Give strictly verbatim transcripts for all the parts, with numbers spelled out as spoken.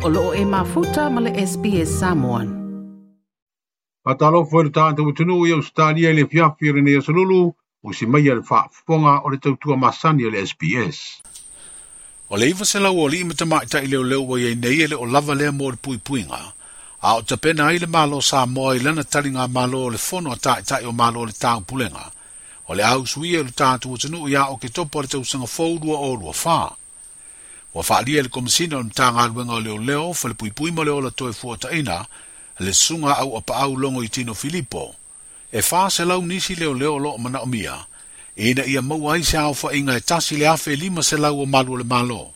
O loo e mafuta ma le S B S Samoan. Faatalofa i le tatou atunuu i Ausetalia i le afiafi o lenei aso lulu, o si mai le faafofoga o le tautua masani o le S B S. O le iwa selau o lima tamaitai leoleo ua iai nei e le o lava lea mo le puipuiga, a o tapena ai le Malo Samoa i lana taliga malo o le fono a taitai o Malo o le Taupulega. O le au suia o le tatou atunuu ia Oketopa o le tausaga fou lua o lua wha. Ua faalia le Komisina o le Matagaluega o Leoleo, Falepuipui ma le Ola Toe Fuataina, le susuga au apaau Logo i Tino Filipo. E wha selau nisi leoleo o loo manaomia, ina ia maua ai se aofaiga e tasi le afe lima selau o malu o le Malo.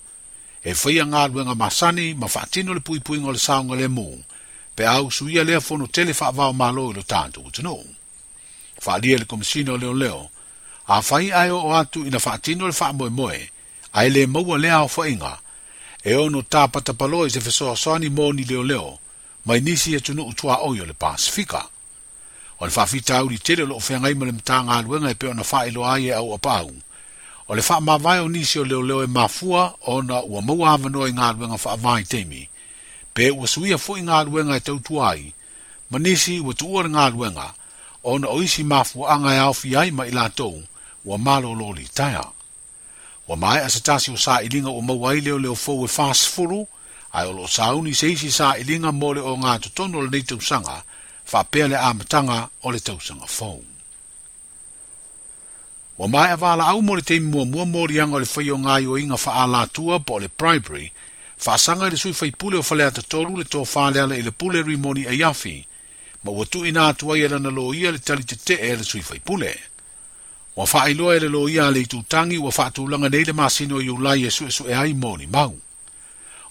E whaia galuega masani ma faatino le puipuiga o le saogalemu, pe au suia lea fono tele faavao malo i lo tatou atunuu. Faalia le Komisina o Leoleo, a whai ae o atu ina faatino le faamoemoe, ae le maua lea aofaiga, e ono tāpatapaloa i se fesoasoani mo ni leoleo, mai nisi atunuu tuaoi o le Pasifika. O le faafitauli tele o loo feagai ma le Matagaluega e pei ona faailoa ai e au apaau. O le faamavae o nisi o leoleo e mafua ona ua maua avanoa i galuega faavaitaimi, pe ua suia foi galuega e tautua ai, ma nisi ua tuua le galuega, ona o isi mafuaaga e aofia ai ma i latou, ua malolo litaea. Ua maea se tasi o sailiga ua maua ai leoleo fou e fasefulu, ae o loo sauni se isi sailiga mo le o ngā totonu o lenei tausaga, faapea le amataga o le tausaga fou. Ua maea valaau mo le taimi muamua moliaga o le whai o ngā faalatua po o le bribery, faasaga i le sui faipule o Faleata tolu le tofā leala i le pule Rimoni Aiafi, ma ua tuuina atu ai e lana loia le tali tetee e le sui faipule. Ua faailoa e le loia a le itutangi ua faatulaga nei le masina o Iulai e suesue ai moni mau.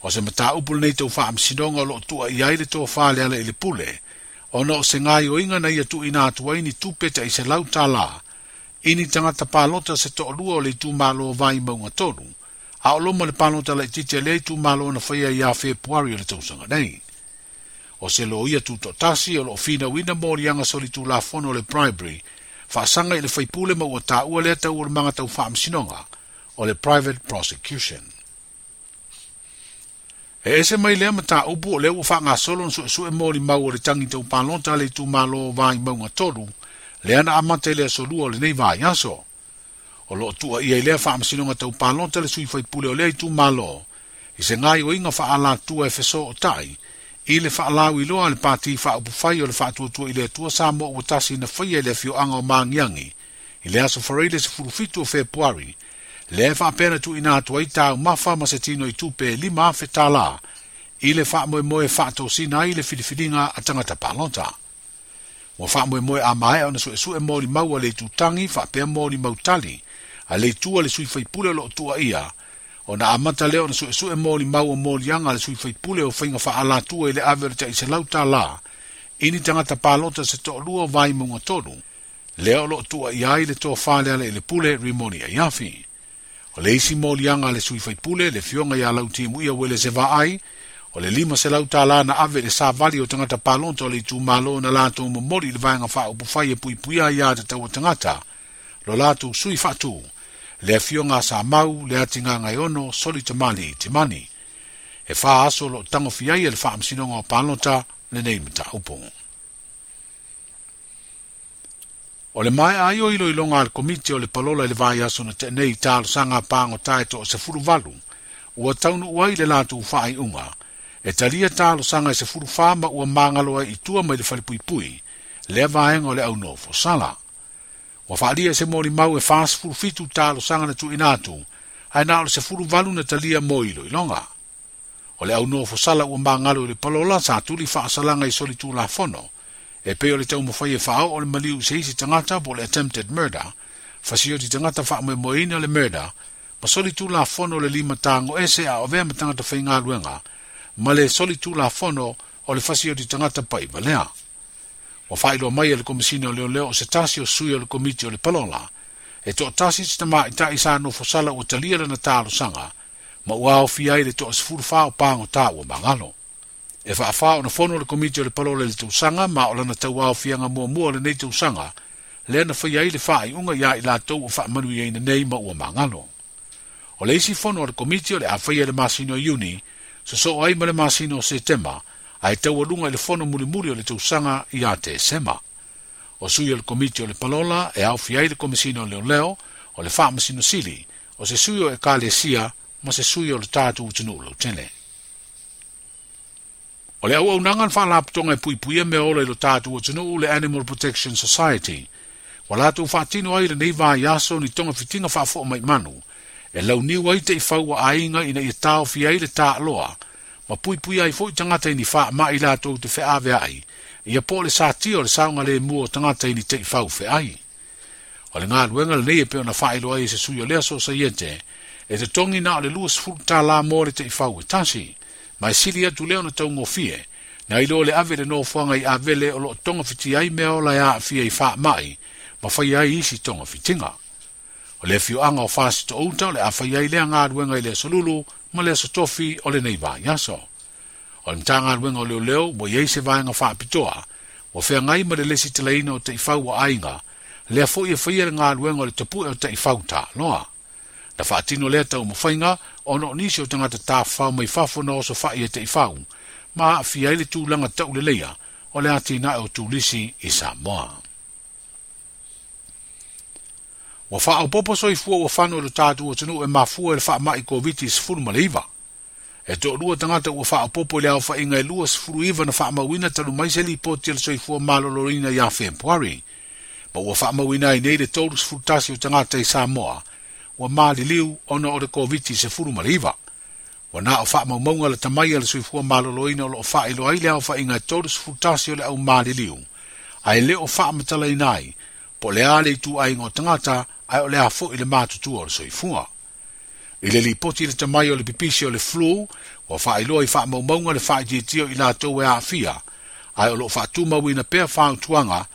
O se mataupu lenei tau faamasinoga o loo tua i ai le tofā leala i le pule, ona o se gaioiga na ia tuuina atu ai ni tupe tai selau tālā, i ni tagata palota se toalua o le itumalo o Vaimauga tolu, a o loma le palota laitiiti a lea itumalo na faia ia Fepuari o le tausaga nei. O se loia tutoatasi o loo finauina moliaga solitulafono o le bribery, faasaga i le faipule ma ua taua lea taualumaga tau faamasinoga o le private prosecution. E ese mai lea mataupu o lea ua faagasolo na suesue molimau o le tangi tau palota a le itumalo o Vaimauga tolu, lea na amata i le aso lua o lenei vaiaso. O loo tua ia i lea faamasinoga tau palota le sui faipule o lea itumalo, i se gaioiga faalatua e fesootai, i le faalauiloa a le pati faaupufai o le faatuatua i le Atua Samoa ua tasi na faia i le afioaga o Magiagi, i le aso Faraile sefulufitu o Fepuari, lea e faapea na tuuina atu ai taumafa ma se tino i tupe e lima afe tālā, i le faamoemoe faatosina ai le filifiliga a tagata palota. Ua faamoemoe a maea ona suesue molimau a le itutangi faapea molimau tali, a le itua le sui faipule o loo tua ia, ona amata lea ona suesue molimau o moliaga a le sui faipule o faiga faalatua i le ave o le tai selau tālā, i ni tagata palota se toalua o Vaimauga tolu, lea o loo tua ia ai le tofā leala i le pule Rimoni Aiafi. O le isi moliaga a le sui faipule, le fioga ia Lautimuia Uele se vaai, o le lima selau tālā na ave i le savali o tagata palota o le itumalo na latou momoli i le vaega faaupufai e puipuia ia tatau o tagata, lo latou sui faatu, le afioga a Samau, le Atigagaiono, Soli Tamali Timani. E wha aso lo tangofia ai e le faamasinoga o palota lenei mataupu. O le maea ai o iloiloga a le komiti o le palola i le vaiaso na tenei talosaga pagota e toasefuluvalu, ua taunuu ai le latou faaiuga, e talia talosaga e sefulufa ma ua magalo ai i tua mai le falepuipui, lea vaega o le aunofo sala. Ua faalia se molimau e fasefulufitu talosaga na tuuina atu, ae na o le sefuluvalu na talia mo iloiloga. O le aunofo sala ua magalo i le palola sa tuli faasalaga i solitulafono, e pei o le taumafai e faaoo o le maliu i se isi tagata po o le attempted murder, fasioti tagata faamoemoeina le murder, ma solitulafono o le lima tago ese a o avea ma tagata faigaluega, ma le solitulafono o le fasioti tagata paivalea. Ua faailoa mai e le Komisina o Leoleo o se tasi o sui o le komiti o le palola, e toatasi se tamaitai sa nofosala ua talia lana talosaga, ma ua aofia ai le toasefulufa o pagota ua magalo. E faafā ona fono le komiti o le palola i le tausaga ma o lana tauaofiaga muamua o lenei tausaga, lea na faia ai le faaiuga ia i latou ua faamanuiaina nei ma ua magalo. O le isi fono o le komiti o le a faia i le masina o Iuni, Sosoo ai ma le masina o Setema, ae taualuga i le fono mulimuli o le tausaga ia Tesema. O sui o le komiti o le palola e aofia ai le Komesina o Leoleo, o le Faamasino Sili, o se sui o Ekalesia ma se sui o le tatou atunuu lautele. O le auaunaga na faalapotoga e puipuia mea ola i lo tatou atunuu le Animal Protection Society, ua latou faatino ai lenei vaiaso ni togafitiga faafo'omaimanu, e launiu ai taʻifau a aiga ina ia taofia ai le taaloa, ma puipuia ai fo'i tagata i ni faama'i latou te feavea'i, ia po o le satia o le saogalemu o tagata i ni taʻifau feai. O le galuega lenei e pei ona faailoa ai e se sui o lea sosaiete, e totogi na o le luasefulu tālā mo le taʻifau e tasi, ma e sili atu lea ona taugofie, nai lo le ave le nofoaga i avele o loo togafitia ai mea ola e aafia i faama'i, ma faia ai isi togafitiga. O le afioaga o Fasitoouta o le a fai ai lea galuega i le aso Lulu ma le aso Tofi o lenei vaiaso. O le Matagaluega o Leoleo ua i ai se vaega faapitoa, ua feagai ma le lesitalaina o taʻifau a aiga, lea fo'i e faia le galuega o le tapu'e o taʻifau taaloa. Na faatino lea taumafaiga ona o nisi o tagata tafafao mai fafo na osofa'i e taʻifau, ma aafia ai le tulaga tauleleia o le atinae o turisi i Samoa. Ua faaopopo soifua ua fano i lo tatou atunuu e mafua i le faama'i Koviti sefulu ma le iva. E toalua tagata ua faaopopo i le aofaiga e luasefulu iva na faamauina talu mai se lipoti a le soifua maloloina ia Fepuari. Ma ua faamauina ai nei le tolusefulu tasi o tagata i Samoa, ua maliliu ona o le Koviti sefulu ma le iva. Ua na o faamaumauga le tamai a le soifua maloloina o loo faailoa ai le aofaiga e tolusefulu tasi o le au maliliu, ae le o faamatalaina ai, po le a le ituaiga o tagata, ae o le a fo'i le matutua o le soifua. I le lipoti le tamai o le pipisi o le flu, ua faailoa i faamaumauga le faaitiitia o i latou e aafia, ae o loo faatumauina pea fautuaga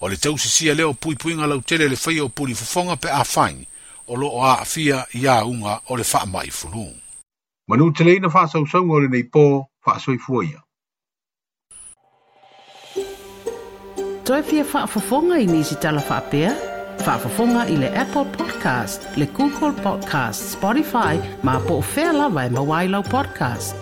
o le tausisia lea o puipuiga lautele le faia o pulifofoga pe afai, o loo aafia i auga o le faama'i fulu. Manuteleina faasausauga o lenei po faasoifua ia. Toe fia faafofoga i nisi tala faapea? Faafofoga i le Apple Podcast, le Google Podcast, Spotify, ma po o fea lava e maua ai lau podcast.